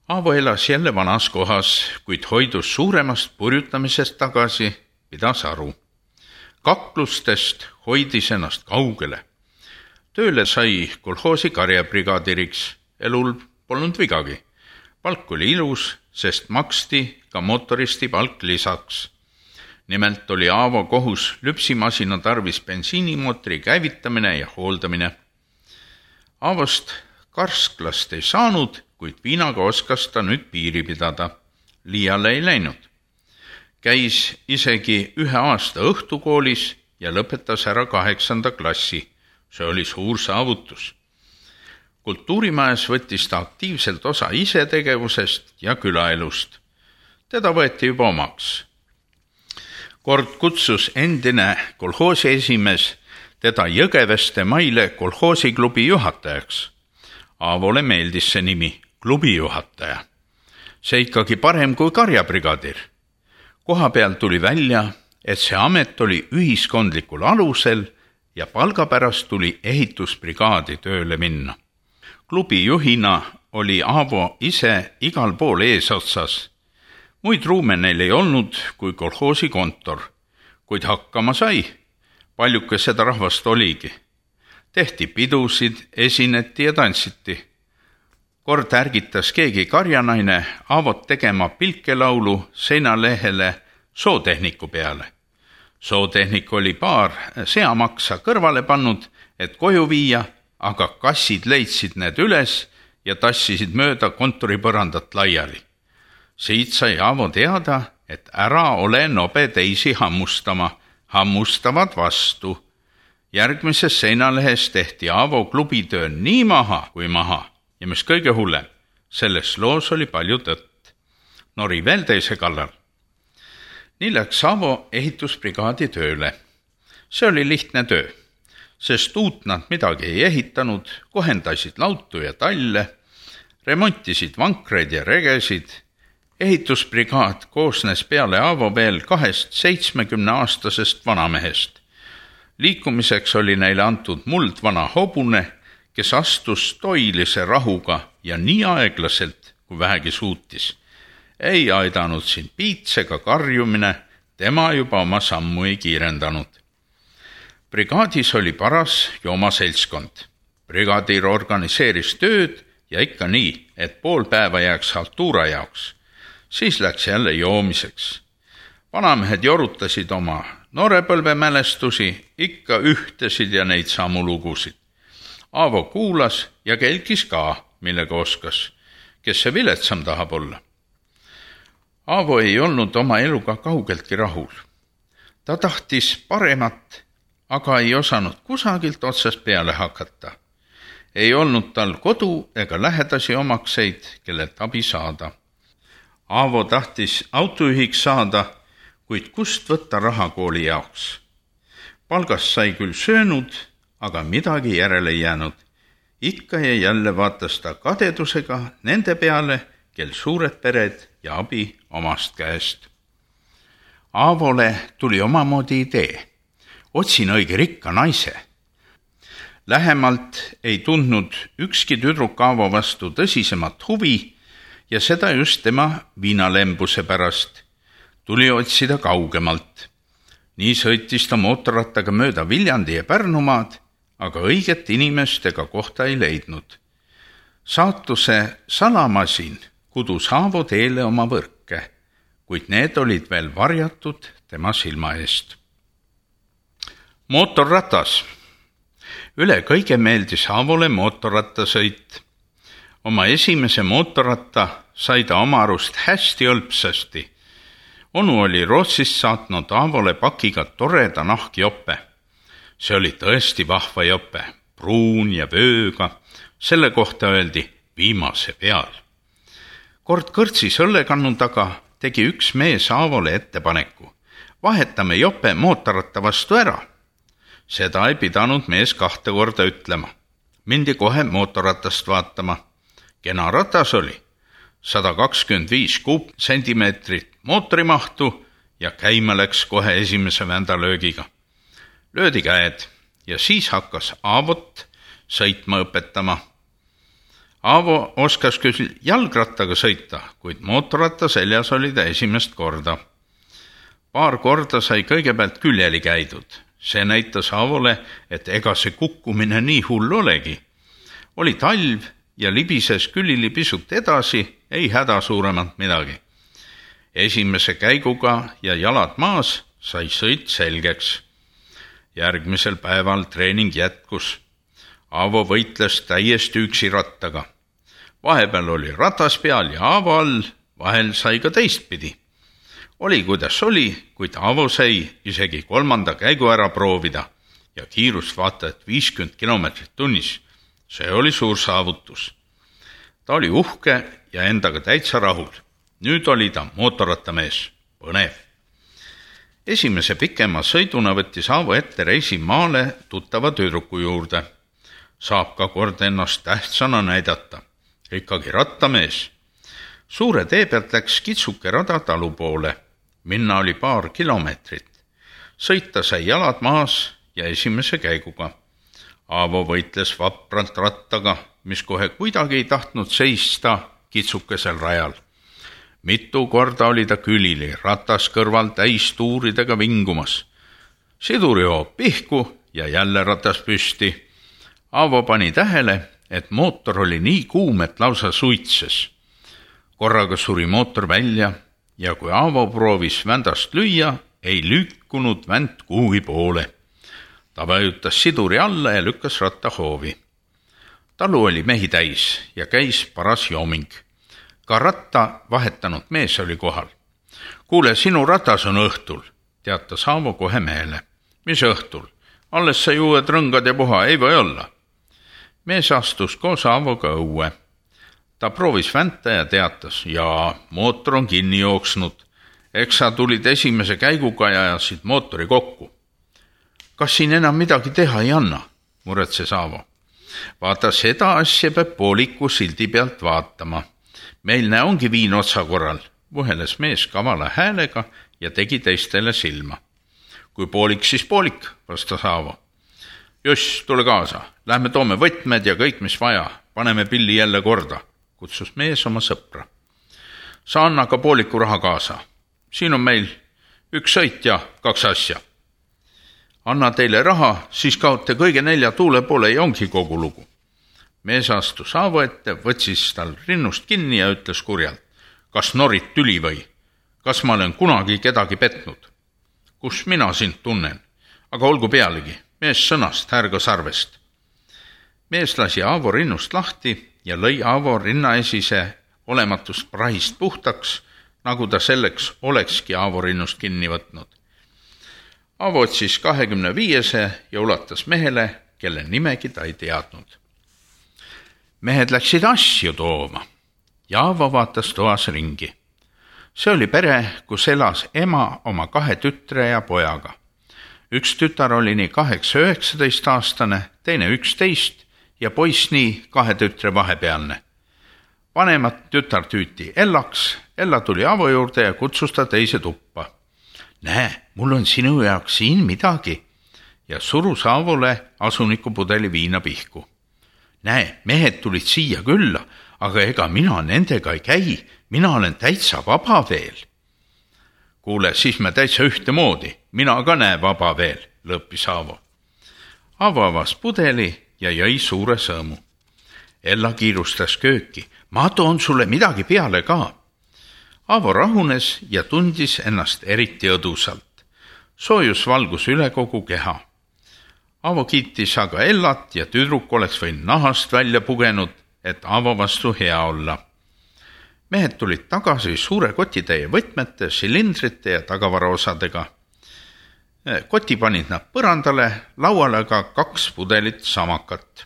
Aavo elas jälle vanas kohas, kuid hoidus suuremast purjutamisest tagasi, pidas aru. Kaklustest hoidis ennast kaugele. Tööle sai kolhoosi karjabrigaadiriks, elul polnud vigagi. Palk oli ilus, sest maksti ka motoristi palk lisaks. Nimelt oli Aavo kohus lüpsimasina tarvis bensiinimootori käivitamine ja hooldamine. Aavost karsklast ei saanud, kuid viinaga oskas ta nüüd piiri pidada. Liiale ei läinud. Käis isegi 1 aasta õhtukoolis ja lõpetas ära 8. klassi. See oli suur saavutus. Kultuurimajas võttis ta aktiivselt osa isetegevusest ja külaelust. Teda võeti juba omaks. Kord kutsus endine kolhoosi esimees teda Jõgeveste Maile kolhoosiklubi juhatajaks. Aavole meeldis see nimi, klubi juhataja. See ikkagi parem kui karjabrigadir. Koha peal tuli välja, et see amet oli ühiskondlikul alusel ja palgapärast tuli ehitusbrigaadi tööle minna. Klubi juhina oli Aavo ise igal pool eesotsas. Muid ruume neil ei olnud kui kolhoosi kontor, kuid hakkama sai. Paljuke seda rahvast oligi. Tehti pidusid, esineti ja tantsiti. Kord ärgitas keegi karjanaine Aavot tegema pilkelaulu seinalehele sootehniku peale. Sootehnik oli paar seamaksa kõrvale pannud, et koju viia, aga kassid leidsid need üles ja tassisid mööda kontoripõrandat laiali. Siit sai Aavo teada, et ära ole nobe teisi hammustama, hammustavad vastu. Järgmises seinalehes tehti Aavo klubitöö nii maha kui maha ja mis kõige hullem, selles loos oli palju tõtt. Nori veel teise kallal. Nii läks Aavo ehitusbrigaadi tööle. See oli lihtne töö, sest uut nad midagi ei ehitanud, kohendasid lautu ja talle, remontisid vankreid ja regesid. Ehitusbrigaad koosnes peale Aavo veel 2 70-aastasest vanamehest. Liikumiseks oli neile antud muldvana hobune, kes astus toilise rahuga ja nii aeglaselt, kui vähegi suutis. Ei aidanud siin piits ega karjumine, tema juba oma sammu ei kiirendanud. Brigaadis oli paras joomaseltskond. Brigaadir organiseeris tööd ja ikka nii, et pool päeva jääks haltuura jaoks. Siis läks jälle joomiseks. Vanamehed jorutasid oma noorepõlve mälestusi, ikka ühtesid ja neid samu lugusid. Aavo kuulas ja kelkis ka, millega oskas, kes see viletsam tahab olla. Aavo ei olnud oma eluga kaugeltki rahul. Ta tahtis paremat, aga ei osanud kusagilt otsast peale hakata. Ei olnud tal kodu ega lähedasi omakseid, kellelt abi saada. Aavo tahtis autojuhiks saada, kuid kust võtta raha kooli jaoks. Palgast sai küll söönud, aga midagi järele ei jäänud. Ikka ja jälle vaatas ta kadedusega nende peale, kel suured pered ja abi omast käest. Aavole tuli omamoodi idee. Otsin õige rikka naise. Lähemalt ei tundnud ükski tüdruk Aavo vastu tõsisemat huvi ja seda just tema viinalembuse pärast. Tuli otsida kaugemalt. Nii sõitis ta mootorrattaga mööda Viljandi ja Pärnumaad, aga õiget inimest ega kohta ei leidnud. Saatuse salamasin kudus Aavo teele oma võrke, kuid need olid veel varjatud tema silma eest. Mootorratas. Üle kõige meeldis Aavole mootorrattasõit. Oma esimese mootorratta sai ta oma arust hästi õlpsasti. Onu oli Rootsist saatnud Aavole pakiga toreda nahkjope. See oli tõesti vahva jope, pruun ja vööga. Selle kohta öeldi viimase peal. Kord kõrtsis õllekannu taga tegi üks mees Aavole ettepaneku. Vahetame jope mootorratta vastu ära. Seda ei pidanud mees 2 korda ütlema. Mindi kohe mootorratast vaatama. Kena ratas oli. 125 kuupsentimeetrit mootorimahtu ja käima läks kohe esimese vändalöögiga. Löödi käed ja siis hakkas Aavot sõitma õpetama. Aavo oskas küll jalgrattaga sõita, kuid mootorratta seljas oli ta esimest korda. Paar korda sai kõigepealt küljeli käidud. See näitas Aavole, et ega see kukkumine nii hull olegi. Oli talv ja libises külili pisut edasi, ei häda suuremat midagi. Esimese käiguga ja jalad maas sai sõit selgeks. Järgmisel päeval treening jätkus. Aavo võitles täiesti üksi rattaga. Vahepeal oli ratas peal ja Aavo all, vahel sai ka teistpidi. Oli kuidas oli, kuid Aavo sai isegi 3. käigu ära proovida ja kiirust vaata et 50 kilomeetrit tunnis. See oli suur saavutus. Ta oli uhke ja endaga täitsa rahul. Nüüd oli ta mootorrattamees. Põnev. Esimese pikema sõiduna võttis Aavo ette reisi maale tuttava tüdruku juurde. Saab ka kord ennast tähtsana näidata. Ikkagi rattamees. Suure tee pealt läks kitsuke rada talu poole. Minna oli paar kilomeetrit. Sõita sai jalad maas ja esimese käiguga. Aavo võitles vapralt rattaga, mis kohe kuidagi ei tahtnud seista kitsukesel rajal. Mitu korda oli ta külili, ratas kõrval täis tuuridega vingumas. Sidurihoop pihku ja jälle ratas püsti. Aavo pani tähele, et mootor oli nii kuum, et lausa suitses. Korraga suri mootor välja ja kui Aavo proovis vändast lüüa, ei lükkunud vänt kuhugi poole. Ta vajutas siduri alla ja lükkas ratta hoovi. Talu oli mehi täis ja käis paras jooming. Ka ratta vahetanud mees oli kohal. Kuule, sinu ratas on õhtul, teatas Aavo kohe mehele. Mis õhtul? Alles sai uued rõngad ja puha, ei või olla. Mees astus koos Aavoga õue. Ta proovis vänta ja teatas, jaa, mootor on kinni jooksnud. Eks sa tulid esimese käiguga ja ajasid mootori kokku. Kas siin enam midagi teha ei anna, muretses Aavo. Vaata, seda asja peab pooliku sildi pealt vaatama. Meil ongi viin otsa korral, vuheles mees kavala häälega ja tegi teistele silma. Kui poolik, siis poolik, vastas Aavo. Just, tule kaasa, lähme toome võtmed ja kõik, mis vaja, paneme pilli jälle korda, kutsus mees oma sõpra. Sa anna ka pooliku raha kaasa. Siin on meil 1 sõit ja 2 asja. Anna teile raha, siis kaote kõige 4 tuule poole ja ongi kogu lugu. Mees astus Aavo ette, võtsis tal rinnust kinni ja ütles kurjalt. Kas norid tüli või? Kas ma olen kunagi kedagi petnud? Kus mina sind tunnen? Aga olgu pealegi, mees sõnast härga sarvest. Mees lasi Aavo rinnust lahti ja lõi Aavo rinnaesise olematust prahist puhtaks, nagu ta selleks olekski Aavo rinnust kinni võtnud. Aavo otsis 25 ja ulatas mehele, kelle nimegi ta ei teadnud. Mehed läksid asju tooma ja Aavo vaatas toas ringi. See oli pere, kus elas ema oma 2 tütre ja pojaga. Üks tütar oli nii 8-19 aastane, teine 11 ja poiss nii 2 tütre vahepealne. Vanemat tütar tüüti Ellaks, Ella tuli Aavo juurde ja kutsus ta teise tuppa. Näe, mul on sinu jaoks siin midagi ja surus Aavole asunikupudeli viina pihku. Näe, mehed tulid siia külla, aga ega mina nendega ei käi, mina olen täitsa vaba veel. Kuule, siis me täitsa ühtemoodi, mina ka näe vaba veel, lõppis Aavo. Aavo avas pudeli ja jõi suure sõõmu. Ella kiirustas kööki, ma toon sulle midagi peale ka. Aavo rahunes ja tundis ennast eriti õdusalt. Soojus valgus üle kogu keha. Aavo kiitis aga Ellat ja tüdruk oleks võinud nahast välja pugenud, et Aavo vastu hea olla. Mehed tulid tagasi suure kotitäie võtmete, silindrite ja tagavaraosadega. Koti panid nad põrandale, lauale ka 2 pudelit samakat.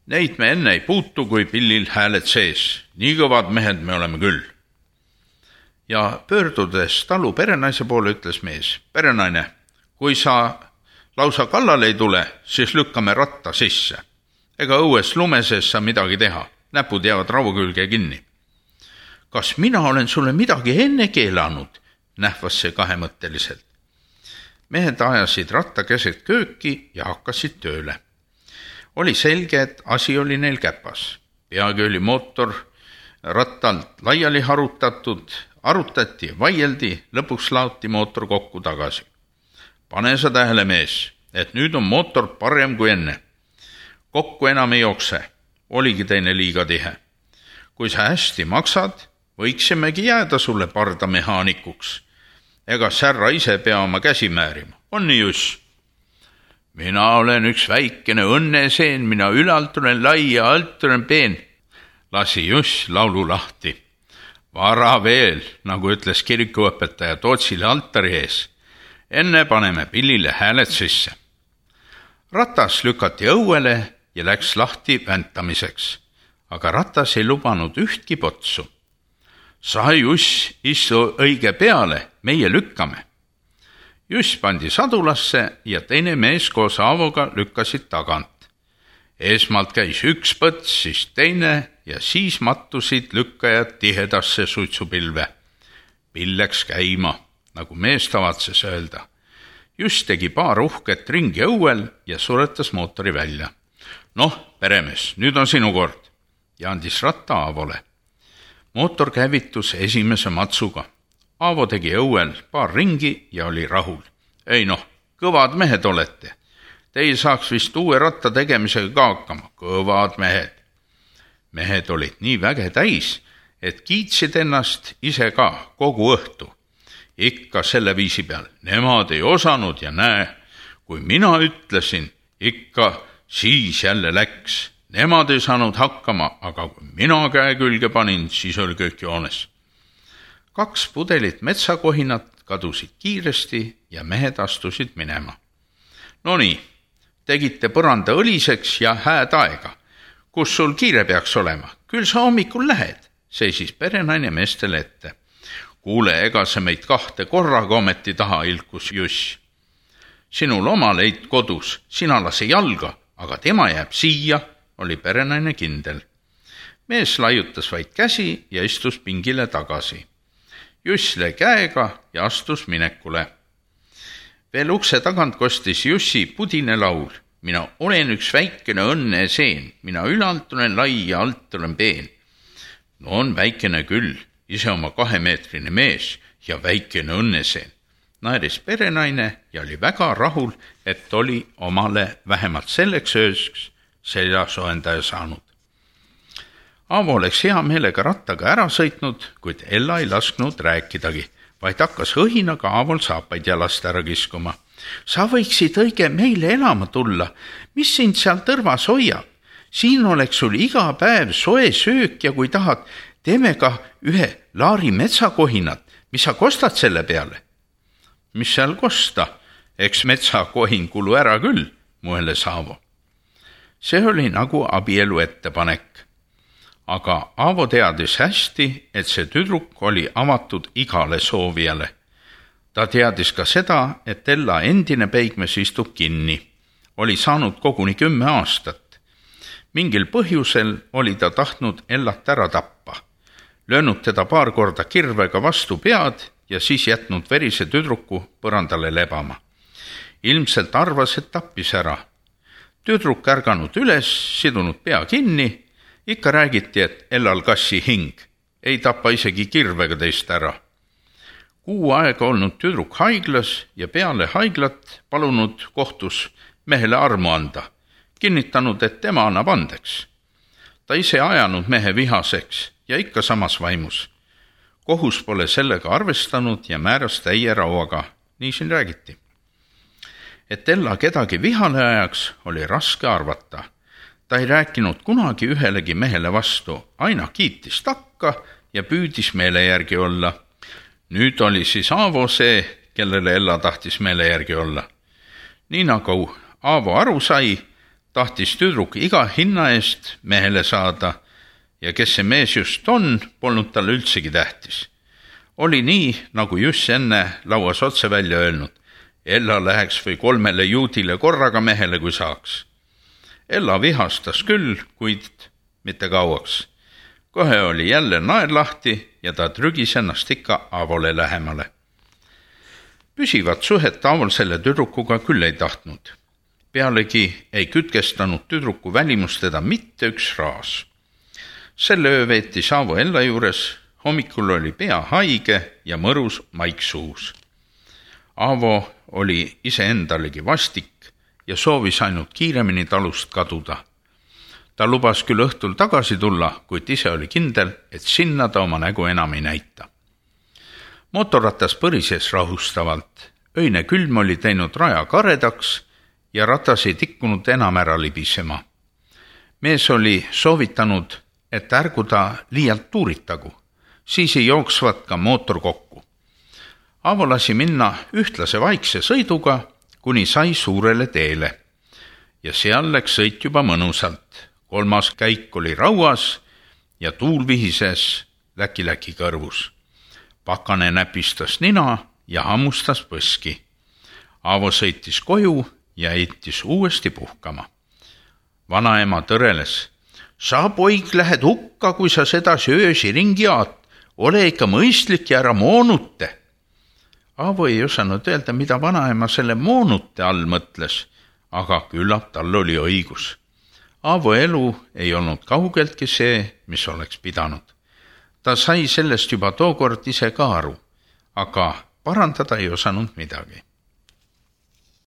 Neid me enne ei puutu, kui pillil hääled sees. Nii kõvad mehed me oleme küll. Ja pöördudes talu perenaise poole ütles mees, perenaine, kui sa lausa kallale ei tule, siis lükkame ratta sisse. Ega õues lumeses sa midagi teha, näpud jäävad raua külge kinni. Kas mina olen sulle midagi enne keelanud, nähvas see kahemõtteliselt. Mehed ajasid ratta keset kööki ja hakkasid tööle. Oli selge, et asi oli neil käpas. Peagi oli mootor rattalt laiali arutati, vaieldi, lõpuks laoti mootor kokku tagasi. Pane sa tähele, mees, et nüüd on mootor parem kui enne. Kokku enam ei jookse, oligi teine liiga tihe. Kui sa hästi maksad, võiksimegi jääda sulle pardamehaanikuks. Ega särra ise pea oma käsi määrima, on nii Juss? Mina olen üks väikene õnneseen, mina ülalt olen lai ja alt olen peen, lasi Juss laulu lahti. Vara veel, nagu ütles kirikuõpetaja Tootsile altari ees. Enne paneme pillile hääled sisse. Ratas lükati õuele ja läks lahti väntamiseks, aga ratas ei lubanud ühtki potsu. Sa, Juss, istu õige peale, meie lükkame. Juss pandi sadulasse ja teine mees koos Aavoga lükkasid tagant. Eesmalt käis üks põts, siis teine ja siis mattusid lükkajad tihedasse suitsupilve. Pill läks käima, nagu mees tavatses öelda. Juss tegi paar uhket ringi õuel ja suretas mootori välja. Noh, peremees, nüüd on sinu kord, ja andis ratta Aavole. Mootor käivitus esimese matsuga. Aavo tegi õuel paar ringi ja oli rahul. Ei noh, kõvad mehed olete. Te ei saaks vist uue ratta tegemisega ka hakkama. Kõvad mehed. Mehed olid nii väge täis, et kiitsid ennast ise ka kogu õhtu. Ikka selle viisi peal. Nemad ei osanud ja näe, kui mina ütlesin, ikka siis jälle läks. Nemad ei saanud hakkama, aga kui mina käe külge panin, siis oli kõik joones. 2 pudelit metsakohinat kadusid kiiresti ja mehed astusid minema. No nii, tegite põranda õliseks ja hääd aega. Kus sul kiire peaks olema? Küll sa hommikul lähed, seisis perenaine meestele ette. Kuule, ega sa meid 2 korraga ometi taha, ilkus Juss. Sinul oma leid kodus, sina lase jalga, aga tema jääb siia, oli perenaine kindel. Mees laiutas vaid käsi ja istus pingile tagasi. Juss lõi käega ja astus minekule. Veel ukse tagant kostis Jussi pudine laul. Mina olen üks väikene õnneseen, mina ülalt olen lai ja alt olen peen. No on väikene küll, ise oma 2-meetrine mees ja väikene õnneseen. Naeris perenaine ja oli väga rahul, et oli omale vähemalt selleks ööks seljasoendaja saanud. Aavo oleks hea meelega rattaga ära sõitnud, kuid Ella ei lasknud rääkidagi, vaid hakkas õhinaga Aavol saapaid jalast ära kiskuma. Sa võiksid õige meile elama tulla, mis sind seal tõrvas hoiab? Siin oleks sul iga päev soe söök ja kui tahad, teeme ka ühe laari metsakohinat, mis sa kostad selle peale? Mis seal kosta? Eks metsakohin kulu ära küll, mõeles Aavo. See oli nagu abielu ettepanek. Aga Aavo teadis hästi, et see tüdruk oli avatud igale soovijale. Ta teadis ka seda, et Ella endine peigmees istub kinni. Oli saanud koguni 10 aastat. Mingil põhjusel oli ta tahtnud Ellat ära tappa. Löönud teda paar korda kirvega vastu pead ja siis jätnud verise tüdruku põrandale lebama. Ilmselt arvas, et tappis ära. Tüdruk ärganud üles, sidunud pea kinni. Ikka räägiti, et Ellal kassi hing. Ei tapa isegi kirvega teist ära. 6 aega olnud tüdruk haiglas ja peale haiglat palunud kohtus mehele armu anda. Kinnitanud, et tema annab andeks. Ta ise ajanud mehe vihaseks ja ikka samas vaimus. Kohus pole sellega arvestanud ja määras täie rauaga. Nii siin räägiti. Et Ella kedagi vihale ajaks oli raske arvata. Ta ei rääkinud kunagi ühelegi mehele vastu, aina kiitis takka ja püüdis meele järgi olla. Nüüd oli siis Aavo see, kellele Ella tahtis meele järgi olla. Nii nagu Aavo aru sai, tahtis tüdruk iga hinna eest mehele saada ja kes see mees just on, polnud talle üldsegi tähtis. Oli nii, nagu Juss enne lauas otse välja öelnud. Ella läheks või 3 juudile korraga mehele, kui saaks. Ella vihastas küll, kuid mitte kauaks. Kohe oli jälle naer lahti ja ta trügis ennast ikka Aavole lähemale. Püsivat suhet Aavol selle tüdrukuga küll ei tahtnud. Pealegi ei kütkestanud tüdruku välimust teda mitte üks raas. Selle öö veetis Aavo Ella juures, hommikul oli pea haige ja mõrus maik suus. Aavo oli iseendalegi vastik ja soovis ainult kiiremini talust kaduda. Ta lubas küll õhtul tagasi tulla, kuid ise oli kindel, et sinna ta oma nägu enam ei näita. Mootorratas põrises rahustavalt. Öine külm oli teinud raja karedaks ja ratas ei tikkunud enam ära libisema. Mees oli soovitanud, et ärgu ta liialt tuuritagu, siis ei jooksvat ka mootor kokku. Aavo lasi minna ühtlase vaikse sõiduga, kuni sai suurele teele. Ja seal läks sõit juba mõnusalt. 3. käik oli rauas ja tuul vihises läki kõrvus. Pakane näpistas nina ja hammustas põski. Aavo sõitis koju ja heitis uuesti puhkama. Vanaema tõreles. Sa, poig, lähed hukka, kui sa sedasi öösi ringi aad. Ole ikka mõistlik ja ära moonute. Aavo ei osanud öelda, mida vanaema selle moonute all mõtles, aga küllap tal oli õigus. Aavo elu ei olnud kaugeltki see, mis oleks pidanud. Ta sai sellest juba tookord ise ka aru, aga parandada ei osanud midagi.